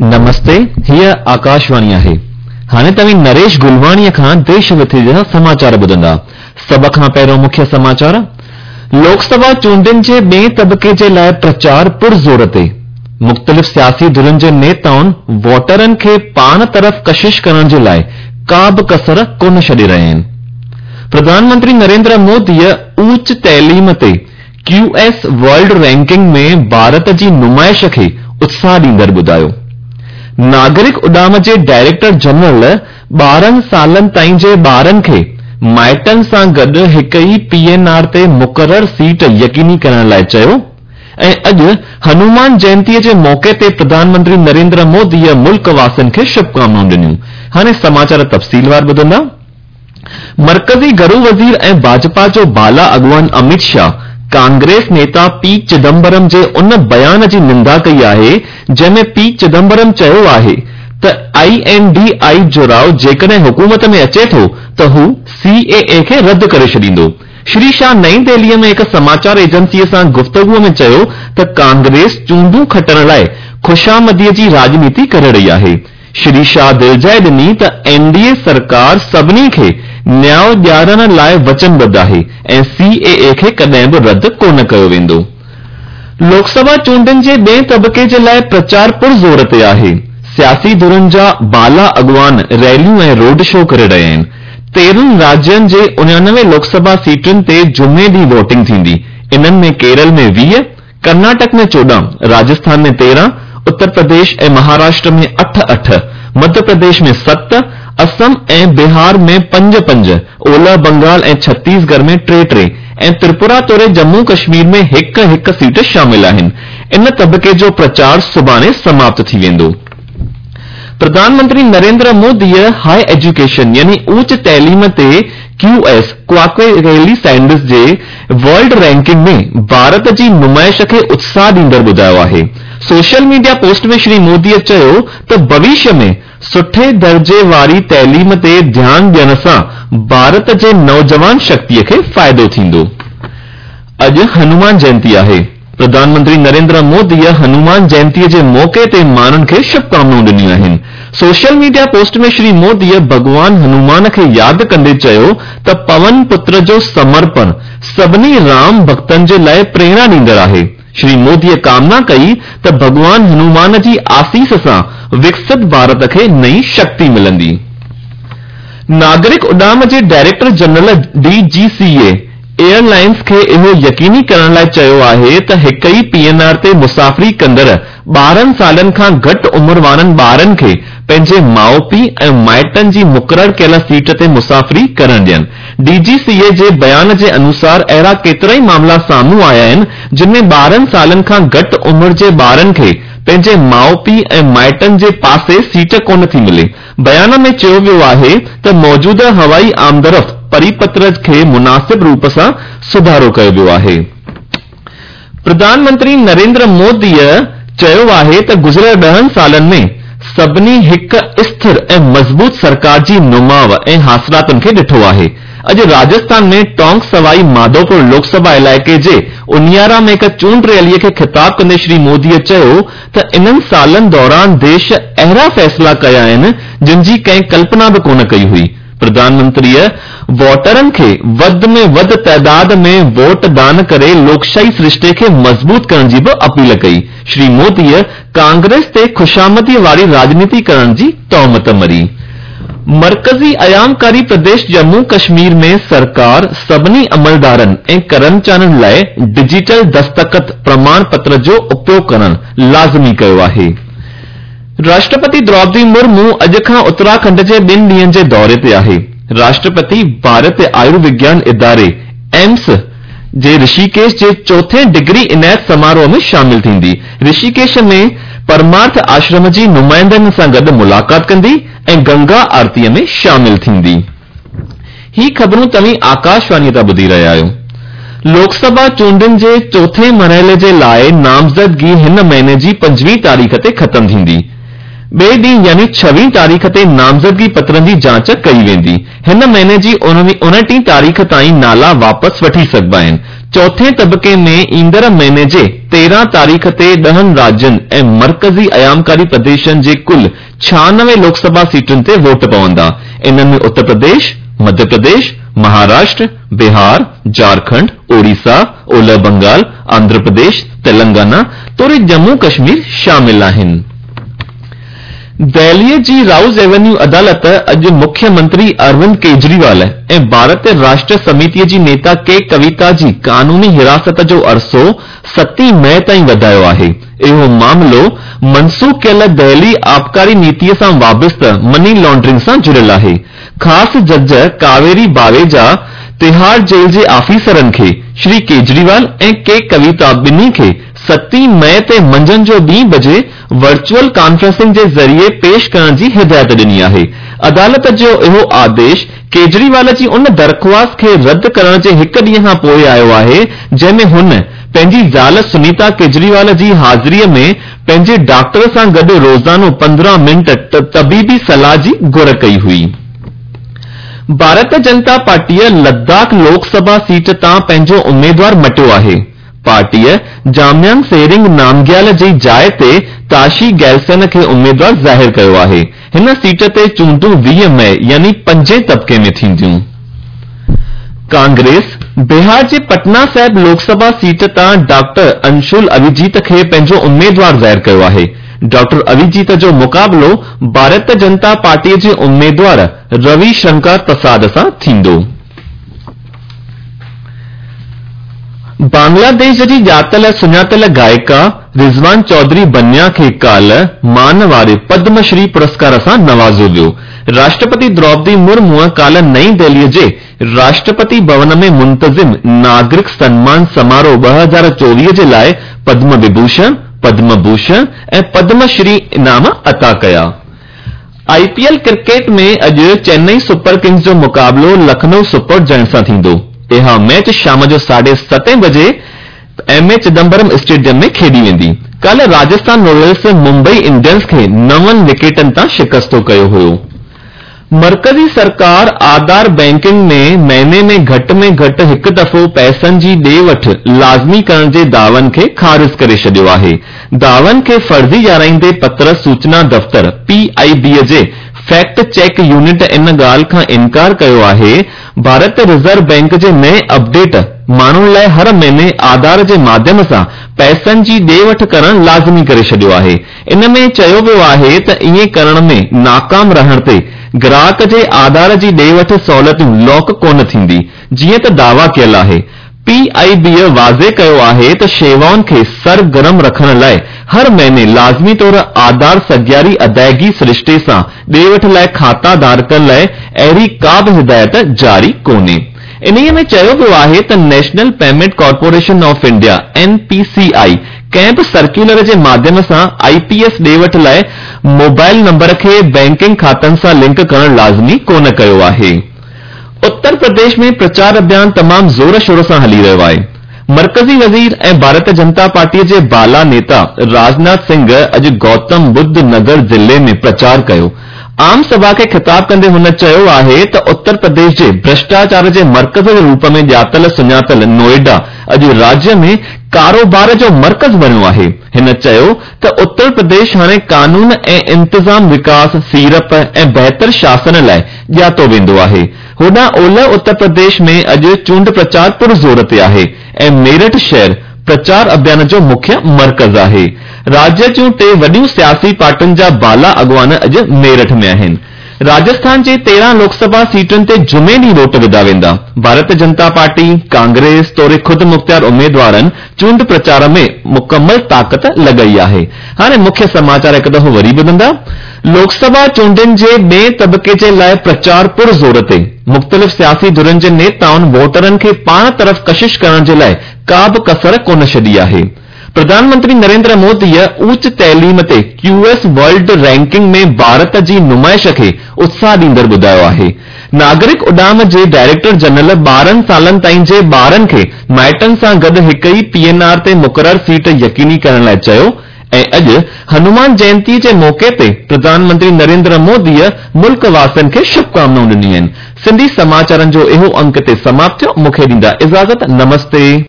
نمستي، هيء آڪاشواڻي آهي. هاڻي توهين نريش گلواڻيء کان ديش وديش جا سماچار ٻڌندا. سڀ کان پهريون مکيه سماچار، لوڪ سڀا چونڊن جي ٻئين طبقي جي لاء پرچار پرزور تي. مختلف سياسي ڌرين جي نيتائن ووٽرن کي پاڻ طرف ڪشش ڪرڻ جي لاء ڪا به ڪسر ڪونه ڇڏي رهيا آهن. پرڌان منتري نريندر موديء اوچ تعليم تي ڪيو ايس ورلڊ رينڪنگ ۾ ڀارت جي نمائش کي اتساهه ڏيندڙ ٻڌايو. ناگرڪ اڏام جي ڊائريڪٽر جنرل 12 سالن تائين جي ٻارن کي مائٽن سان گڏ هڪ ئي پي اين آر تي مقرر سيٽ يقيني ڪرڻ لاء چيو ۽ اڄ هنومان جينتيء جي موقعي تي پرڌان منتري نريندر موديء ملڪ واسين کي شڀڪامنائون ڏنيون. هاڻي سماچار تفصيلوار ٻڌندا. مرڪزي گهرو وزير ۽ ڀاجپا جو بالا اڳواڻ اميت شاهه ڪانگريس نيتا پي چدمبرم جي ان بيان جي نندا ڪئي آهي جنهن ۾ پي چدمبرم چيو آهي ته I N D I جڙاء جيڪڏهن حڪومت ۾ اچي ٿو ته هو سي اي اي کي رد ڪري ڇڏيندو. شري شاهه نئين دهليء ۾ هڪ سماچار ايجنسيء سان گفتگو ۾ چيو ته ڪانگريس چونڊون کٽڻ لاء خوشامديء جي راڄنيتي ڪري رهي آهي. شري شاهه دلجاء ڏني ته اين ڊي اي سرڪار سڀني کي نياء ڏيارڻ لاء وچنبڌ آهي ۽ سي اي اي کي ڪڏهن به رد ڪونه ڪيو ويندو. لوڪ سڀا چونڊن جي ٻئين طبقي جي لاء پرچار پرزور تي آهي. سياسي ڌرين جا بالا اڳواڻ ريليون ۽ روڊ شو ڪري رهيا آهن. 13 راجين جي 99 لوڪ سڀا سيٽن تي جمعي ڏينهن ووٽنگ ٿيندي. انهن ۾ ڪيرل ۾ 20، ڪرناٽڪ ۾ 14، راجسٿان ۾ 13، اتر پرديش ۽ مهاراشٽر ۾ اٺ اٺ، مڌيه پرديش ۾ ست، اسم ۽ بهار ۾ پنج پنج، اولهه بنگال ۽ ڇتيس ڳڙهه ۾ ٽي ٽي ۽ تريپورا توڙي ڄمون ڪشمير ۾ هڪ هڪ سيٽ شامل آهن. ان طبقي جو پرچار سڀاڻي سماپت ٿي ويندو. پرڌان منتري نريندر موديء هاء ايجوڪيشن يعني اوچ تعليم تي ڪيو ايس، ڪواڪويلي سينڊس جي ورلڊ رينڪنگ ۾ ڀارت جي نمائش کي اتساهه ڏيندڙ ٻڌايو آهي. سوشل ميڊيا پوسٽ ۾ شري موديء چيو ته ڀوشيه ۾ سٺي درجي واري تعليم تي ڌيان ڏيڻ سان ڀارت جي نوجوان شڪتيء کي فائدو ٿيندو. اڄ هنومان جينتي آهي. پرڌان منتري نريندر موديء هنومان جينتيء جي موقعي تي ماڻهن کي شڀڪامنائون ڏنيون آهن. سوشل ميڊيا پوسٽ ۾ شري موديء ڀڳوان هنومان کي ياد ڪندي چيو ته پون پتر جو سمرپڻ سڀني رام ڀڳتن جي لاء پريرڻا ڏيندڙ آهي. شري موديء ڪامنا ڪئي ته ڀڳوان هنومان جي آسيس سان وڪست ڀارت کي نئين شڪتي ملندي. ناگرڪ اڏام جي director general D G C A air lines کي اهو يقيني ڪرڻ لاء چيو آهي ته هڪ ئي پي اين آر تي مسافري ڪندڙ 12 سالن کان گهٽ عمر وارن ٻارن کي پنهنجي ماء پيء ۽ مائٽن جي مقرر ڪيل سيٽ تي مسافري ڪرڻ ڏين. ڊي جي سي اي جي بيان جي انوسار اهڙا ڪيترائي معاملا سامهون آيا آهن جن ۾ 12 سالن کان گهٽ عمر جي ٻارن کي پنهنجي ماء پيء ۽ مائٽن جي پاسي سيٽ ڪونه ٿي ملي. بيان ۾ چيو ويو آهي ته موجوده هوائي آمدرفت پريپتر کي مناسب روپ سان سڌارو ڪيو ويو آهي. پرڌان منتري نريندر موديء چيو آهي ته گذريل ڏهن سالن ۾ سڀني هڪ اسٿر ۽ مضبوط سرڪار جي نماء ۽ حاصلاتن کي ڏٺو آهي. اڄ راجسٿان ۾ ٽونڪ سوائي ماڌوپور لوڪ سڀا علائقي جي انيارا ۾ هڪ چونڊ ريليء کي خطاب ڪندي شري موديء چيو ته انهن سالن دوران ديش اهڙا فيصلا ڪيا آهن جن جي ڪنهن ڪلپنا به ڪونه ڪئي هئي. پرڌان منتريء ووٽرن کي وڌ ۾ وڌ تعداد ۾ ووٽ دان ڪري لوڪشاهي سرشتي کي مضبوط ڪرڻ جي به اپيل ڪئي. شري موديء ڪانگريس تي خوشامديء واري راڄنيتي ڪرڻ جي تهمت مڙهي. مرڪزي ايامڪاري پرديش ڄمون ڪشمير ۾ سرڪار سڀني عملدارن ۽ ڪرمچارين لاء ڊجيٽل دستخط پرماڻ پتر جو اپيوگ ڪرڻ لازمي ڪيو آهي. راشٽرپتي دروپدي مرمو اڄ کان اتراکنڊ جي ٻن ڏينهن جي دوري تي آهي. راشٽرپتي ڀارتيه آيوروگيان اداري، ايمس، جي رشيڪيش جي چوٿين ڊگري عنايت سماروهه ۾ شامل ٿيندي. رشيڪيش ۾ پرمارٿ آشرم جي نمائندن سان گڏ ملاقات ڪندي ۽ گنگا آرتيء ۾ شامل ٿيندي. هي خبرون توهين آڪاشواڻيء تان ٻڌي رهيا آهيو. لوڪ سڀا چونڊن جي چوٿين مرحلي جي لاء نامزدگي هن مهيني جي 25 تاريخ تي ختم ٿيندي. ٻئي ڏينهن يعني ڇويهين تاريخ تي نامزدگي پترن جي جاچ ڪئي ويندي. هن مهيني جي اڻٽيهين تاريخ تائين نالا واپس وٺي سگهبا آهن. چوٿين طبقي ۾ ايندڙ مهيني جي 13 تاريخ تي ڏهن راجين ۽ مرڪزي ايامڪاري پرديشن جي ڪل 96 لوڪ سڀا سيٽن تي ووٽ پوندا. انهن ۾ اتر پرديش، مڌيه پرديش، مهاراشٽر، بهار، جهارکنڊ، اوڙيسا، اولهه بنگال، آنڌرا پرديش، تلنگانا توڙي ڄمون ڪشمير شامل آهن. دهليء جي رائوز ايونيو عدالت اڄ مکيه منتري اروند ڪيجريوال ۽ ڀارت راشٽر سميتيء جي نيتا ڪي ڪويتا جي قانوني حراست جو عرصو ستين مئي تائين وڌايو آهي. اهو معاملو منسوخ ڪيل دهلي آبڪاري نيتيء سان وابسته مني لانڊرنگ سان جڙيل آهي. خاص جج ڪاويري باويجا تهاڙ جيل جي آفيسرن کي شري ڪيجريوال ۽ ڪي ڪويتا ٻنهي کي ستين مئي تي منجهند جو ٻين بجي ورچوئل ڪانفرنسنگ جي ذريعي پيش ڪرڻ جي هدايت ڏني آهي. عدالت جو اهو آديش ڪيجريوال جي ان درخواست کي رد ڪرڻ جي هڪ ڏينهن کان پوء آيو آهي جنهن ۾ هن پنهنجي زال سنيتا ڪيجريوال جي حاضري ۾ پنهنجي ڊاڪٽر سان گڏ روزانو 15 منٽ طبيبي صلاح جي گهر ڪئي هئي. ڀارت جنتا پارٽيء لداخ لوڪ سڀا سيٽ تان پنهنجو اميدوار مٽيو آهي. پارٽيء جاميانگ سيرنگ نامگيال جي جاء تي تاشي گيلسن کي اميدوار ظاهر ڪيو آهي. هن سيٽ تي چونڊون 20 مئي يعني پنجين طبقي ۾ ٿينديون. ڪانگريس، بهار جي پٽنا صاحب لوڪ سڀا سيٽ تان ڊاڪٽر انشول اويجيت کي پنهنجو اميدوار ظاهر ڪيو آهي. ڊاڪٽر اويجيت جو مقابلو ڀارت جنتا پارٽيء جي اميدوار روي شنڪر پرساد سان ٿيندو. بنگلاديش جي ڄاتل سڃاتل گائڪا رضوان چوڌري بنيا کي ڪالهه مان واري پدم شري پرسڪار سان نوازيو ويو. راشٽرپتي دروپدي مرموء ڪالهه نئين دهليء جي راشٽرپتي ڀون ۾ منتظم ناگرڪ سنمان سماروهه 2024 جي لاء پدم وڀوشڻ، پدم ڀوشڻ ۽ پدم شري انعام عطا ڪيا. آء پي ايل ڪرڪيٽ ۾ اڄ چينئي سپر ڪنگز جو مقابلو لکنؤ سپر جائنٽس سان ٿيندو. اها ميچ شام جو ساڍي ستين بجي ايم اي چدمبرم اسٽيڊيم ۾ کيڏي ويندي. ڪالهه راجسٿان رائلز ممبئي انڊينز کي نون وڪيٽن تان شڪستو ڪيو هيو. مرڪزي سرڪار آڌار بينڪنگ ۾ مهيني ۾ گهٽ ۾ گهٽ هڪ دفعو پئسن جي ڏي وٺ لازمي ڪرڻ جي دعون کي خارج ڪري ڇڏيو آهي. دعون کي فرضي ڄاڻائيندي پتر سوچنا دفتر، پي آء بي، جي فيڪٽ چيڪ يونٽ ان ڳالهه کان انڪار ڪيو آهي ڀارت رزرو بينڪ جي نئين اپڊيٽ ماڻهن لاء هر مهيني آڌار جي ماڌيم سان پئسن جي ڏي وٺ ڪرڻ لازمي ڪري ڇڏيو آهي. ان ۾ چيو ويو آهي ته ائين ڪرڻ ۾ ناڪام رهڻ تي گراهڪ جي آڌار جي ڏي وٺ سهولتون لاڪ ڪونه ٿيندي جيئن ته دعويٰ ڪيل آهي. پي آء بيء واضح ڪيو آهي ته شيوائن کي سرگرم رکڻ لاء هر مهيني لازمي طور آڌار سگياري ادائگي سرشتي سان ڏي وٺ لاء کاتا ڌارڪن لاء اهڙي ڪا به هدايت جاري ڪونهي. انهيء ۾ چيو ويو آهي ته national payment corporation of India, N P C I, ڪنهن به سرڪيولر جي ماڌيم سان آء پي ايس ڏي وٺ لاء موبائل نمبر کي بئنڪنگ کاتن سان لنڪ ڪرڻ لازمي ڪونه ڪيو آهي. اتر پرديش ۾ پرچار اڀيان تمام زور شور سان هلي رهيو آهي. مرڪزي وزير ۽ ڀارت جنتا پارٽيء جي بالا نيتا راجناٿ سنگهه اڄ گوتم ٻڌ نگر ضلعي ۾ پرچار ڪيو. عام سڀا کي خطاب ڪندي هن چيو آهي ته اتر پرديش جي ڀرشٽاچار جي مرڪز جي روپ ۾ ڄاتل سڃاتل نوئيڊا اڄ راجيه ۾ ڪاروبار جو مرڪز بڻيو آهي. هن چيو ته اتر پرديش هاڻي قانون ۽ انتظام وڪاس، سيڙپ ۽ بهتر شاسن لاء ڄاتو ويندو آهي. هوڏانهن اولهه اتر پرديش ۾ اڄ چونڊ پرچار پرزور تي آهي ۽ ميرٺ شهر پرچار اڀيان جو مکيه مرڪز آهي. راجيه جون ٽي وڏيون سياسي پارٽين جا بالا اڳواڻ اڄ ميرٺ ۾ آهن. راجسٿان جي 13 لوڪ سڀا سيٽن تي جمعي ڏينهن ووٽ وڌا ويندا. ڀارت جنتا پارٽي، ڪانگريس توڙي خود مختيار اميدوارن چونڊ پرچار ۾ مڪمل طاقت لڳائي آهي. هاڻي مکيه سماچار هڪ دفعو وري ٻڌندا. لوڪ سڀا چونڊن جي ٻئين طبقي جي لاء پرچار پر زور تي. مختلف سياسي ڌرين جي نيتائن ووٽرن کي پاڻ طرف ڪشش ڪرڻ جي لاء ڪا به ڪسر ڪونه ڇڏي آهي. پرڌان منتري نريندر موديء اوچ تعليم تي ڪيو ايس ورلڊ رينڪنگ ۾ ڀارت جي نمائش کي اتساهه ڏيندڙ ٻڌايو آهي. ناگرڪ اڏام جي ڊائريڪٽر جنرل 12 سالن تائين جي ٻارن کي مائٽن سان گڏ هڪ ئي پي اين آر تي مقرر سيٽ يقيني ڪرڻ لاء چيو. ۽ اڄ هنومان جينتيء جي موقعي تي پرڌان منتري نريندر موديء ملڪ واسين کي شڀڪامنائون ڏنيون آهن. سنڌي سماچارن جو اهو انڪ هتي سماپت ٿيو. مون کي ڏيندا اجازت. نمستي.